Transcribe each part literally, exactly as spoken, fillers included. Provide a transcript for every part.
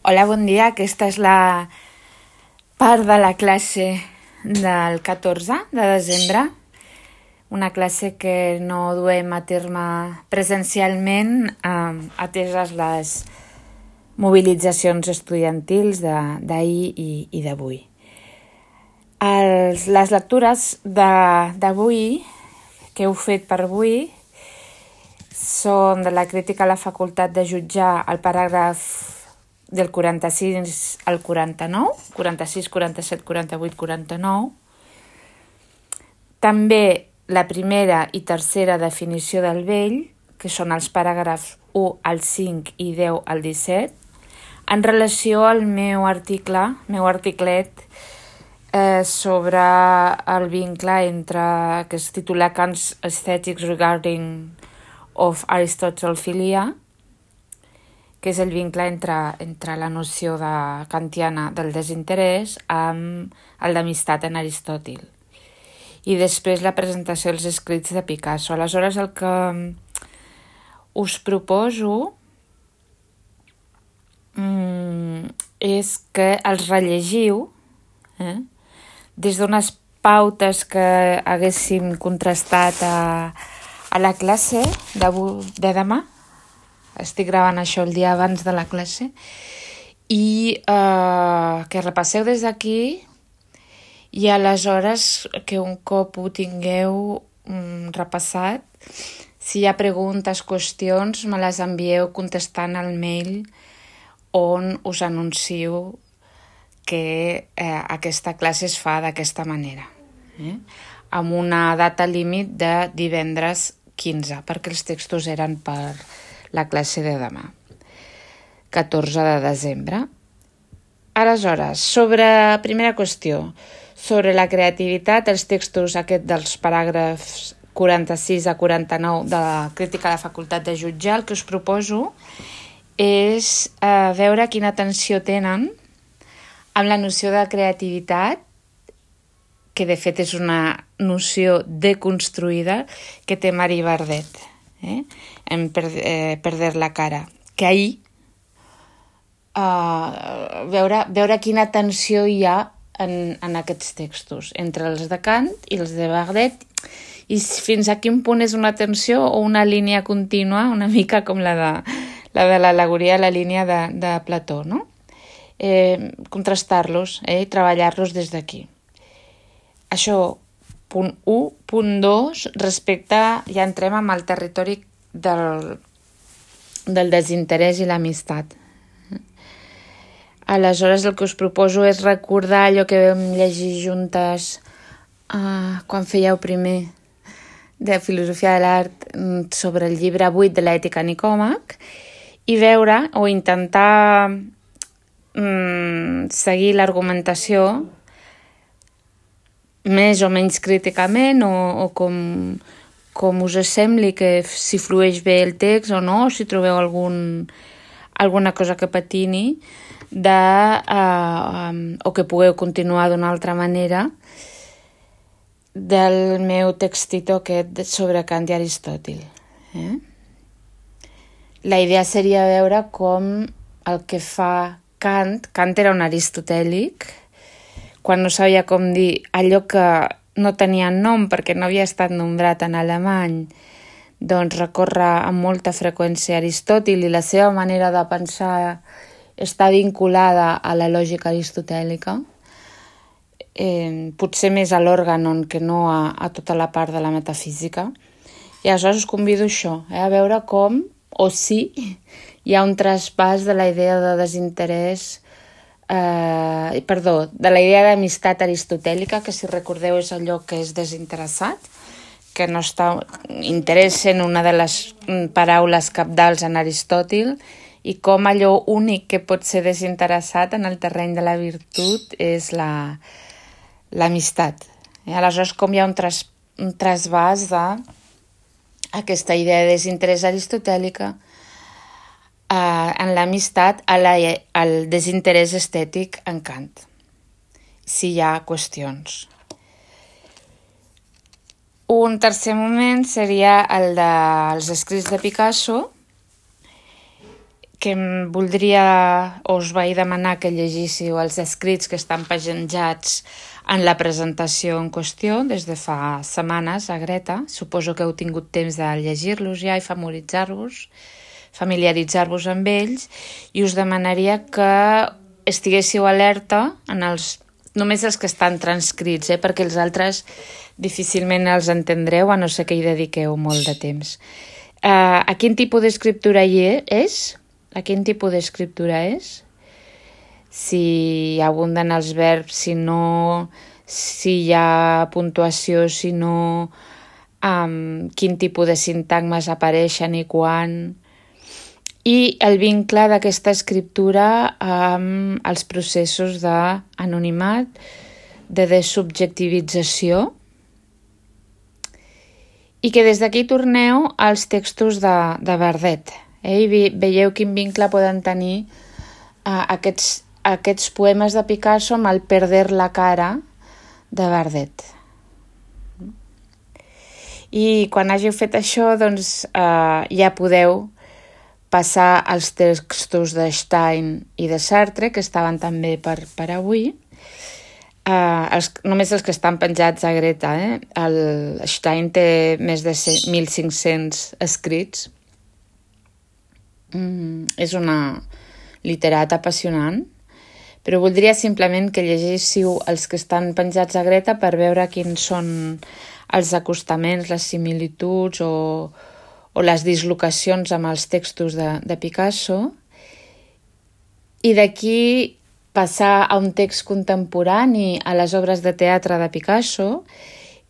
Hola, bon dia. Aquesta és la part de la classe del catorze de desembre, una classe que no duem a terme presencialment, eh, ateses les mobilitzacions estudiantils d'ahir i, i d'avui. Els, les lectures d'avui, que heu fet per avui, són de la crítica a la facultat de jutjar el paràgraf del quaranta-sis al quaranta-nou, quaranta-sis, quaranta-set, quaranta-vuit, quaranta-nou. També la primera i tercera definició del vell, que són els paràgrafs u al cinc i deu al disset, en relació al meu article, meu articlet, eh, sobre el vincle entre, que es titula Kant's Aesthetics Regarding of Aristotle Philia, que és el vincle entre, entre la noció de kantiana del desinterès amb el d'amistat en Aristòtil. I després la presentació dels escrits de Picasso. Aleshores, el que us proposo mm, és que els rellegiu eh, des d'unes pautes que haguéssim contrastat a, a la classe de, de demà. Estic gravant això el dia abans de la classe i eh, que repasseu des d'aquí i aleshores que un cop ho tingueu mm, repassat, si hi ha preguntes, qüestions, me les envieu contestant al mail on us anuncio que eh, aquesta classe es fa d'aquesta manera, eh? amb una data límit de divendres quinze, perquè els textos eren per la classe de demà, catorze de desembre. Aleshores, sobre, primera qüestió, sobre la creativitat, els textos aquests dels paràgrafs quaranta-sis a quaranta-nou de la crítica a la facultat de jutjar, el que us proposo és eh, veure quina atenció tenen amb la noció de creativitat, que de fet és una noció deconstruïda que té Marie Bardet, eh? en per, eh, Perder la cara, que ahir uh, veure, veure quina tensió hi ha en, en aquests textos entre els de Kant i els de Bardet, i fins a quin punt és una tensió o una línia contínua, una mica com la de la de l'al·legoria, la línia de, de Plató, no? Eh, contrastar-los eh, i treballar-los des d'aquí. Això, punt u. Punt dos, respecte, ja entrem amb el territori del, del desinterès i l'amistat. Aleshores, el que us proposo és recordar allò que vam llegir juntes uh, quan fèieu primer de Filosofia de l'Art sobre el llibre vuit de l'Ètica Nicòmac i veure o intentar um, seguir l'argumentació més o menys críticament o, o com, com us sembli que si flueix bé el text o no, o si trobeu algun, alguna cosa que patini de, uh, um, o que pugueu continuar d'una altra manera del meu textito aquest sobre Kant i Aristòtil. Eh? La idea seria veure com el que fa Kant, Kant era un aristotèlic, quan no sabia com dir allò que no tenia nom perquè no havia estat nombrat en alemany, doncs recorre amb molta freqüència a Aristòtil i la seva manera de pensar està vinculada a la lògica aristotèlica, eh, potser més a l'òrganon que no a, a tota la part de la metafísica. I aleshores us convido a això, eh, a veure com, o si, hi ha un traspàs de la idea de desinterès Uh, perdó, de la idea d'amistat aristotèlica, que si recordeu és allò que és desinteressat, que no està interès en una de les paraules cabdals en Aristòtil, i com allò únic que pot ser desinteressat en el terreny de la virtut és la, l'amistat. Eh? Aleshores, com hi ha un, tras, un trasbàs d'aquesta idea de desinterès aristotèlica Uh, en l'amistat al desinterès estètic en Kant, si hi ha qüestions. Un tercer moment seria el dels escrits de Picasso, que em voldria, o us vaig demanar que llegíssiu els escrits que estan penjats en la presentació en qüestió des de fa setmanes a Greta. Suposo que heu tingut temps de llegir-los ja i familiaritzar-vos, familiaritzar-vos amb ells, i us demanaria que estiguéssiu alerta en els, només els que estan transcrits, eh, perquè els altres difícilment els entendreu, a no ser que hi dediqueu molt de temps. Uh, a quin tipus d'escriptura hi és? A quin tipus d'escriptura és? Si abunden els verbs, si no, si hi ha puntuació, si no, um, quin tipus de sintagmes apareixen i quan, i el vincle d'aquesta escriptura amb els processos d'anonimat, de desubjectivització, i que des d'aquí torneu als textos de, de Bardet. Eh? I veieu quin vincle poden tenir uh, aquests aquests poemes de Picasso amb el Perder la cara de Bardet. I quan hàgiu fet això, doncs eh, ja podeu passar als textos de Stein i de Sartre, que estaven també per, per avui. Eh, els, només els que estan penjats a Greta. Eh? El Stein té més de mil cinc-cents escrits. Mm, és una literat apassionant. Però voldria simplement que llegéssiu els que estan penjats a Greta per veure quins són els acostaments, les similituds o, o les dislocacions amb els textos de, de Picasso, i d'aquí passar a un text contemporani, a les obres de teatre de Picasso,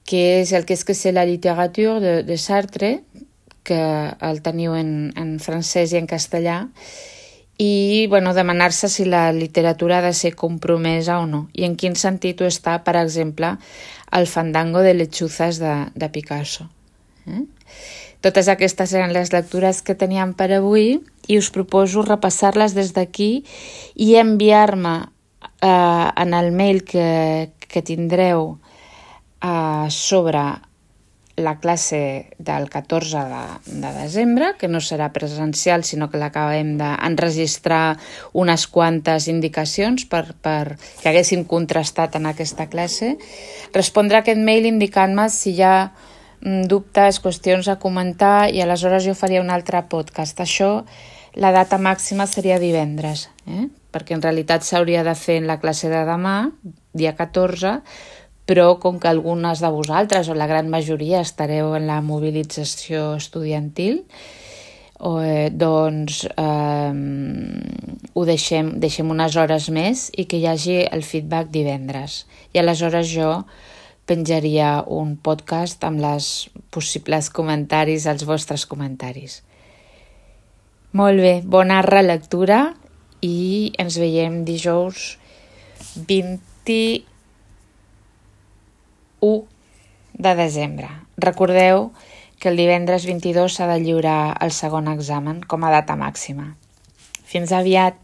que és el Qu'est-ce que c'est la littérature de, de Sartre, que el teniu en, en francès i en castellà, i bueno, demanar-se si la literatura ha de ser compromesa o no, i en quin sentit ho està, per exemple, el Fandango de lechuzas de, de Picasso. Eh? Totes aquestes eren les lectures que teníem per avui i us proposo repassar-les des d'aquí i enviar-me eh, en el mail que, que tindreu eh, sobre la classe del catorze de, de desembre, que no serà presencial, sinó que l'acabem d'enregistrar unes quantes indicacions per, per que haguéssim contrastat en aquesta classe. Respondrà aquest mail indicant-me si hi ha dubtes, qüestions a comentar, i aleshores jo faria un altre podcast. Això, la data màxima seria divendres, eh? Perquè en realitat s'hauria de fer en la classe de demà, dia catorze, però com que algunes de vosaltres, o la gran majoria, estareu en la mobilització estudiantil, eh, doncs eh, ho deixem, deixem unes hores més i que hi hagi el feedback divendres. I aleshores jo penjaria un podcast amb els possibles comentaris, els vostres comentaris. Molt bé, bona relectura i ens veiem dijous vint-i-u de desembre. Recordeu que el divendres vint-i-dos s'ha de lliurar el segon examen com a data màxima. Fins aviat!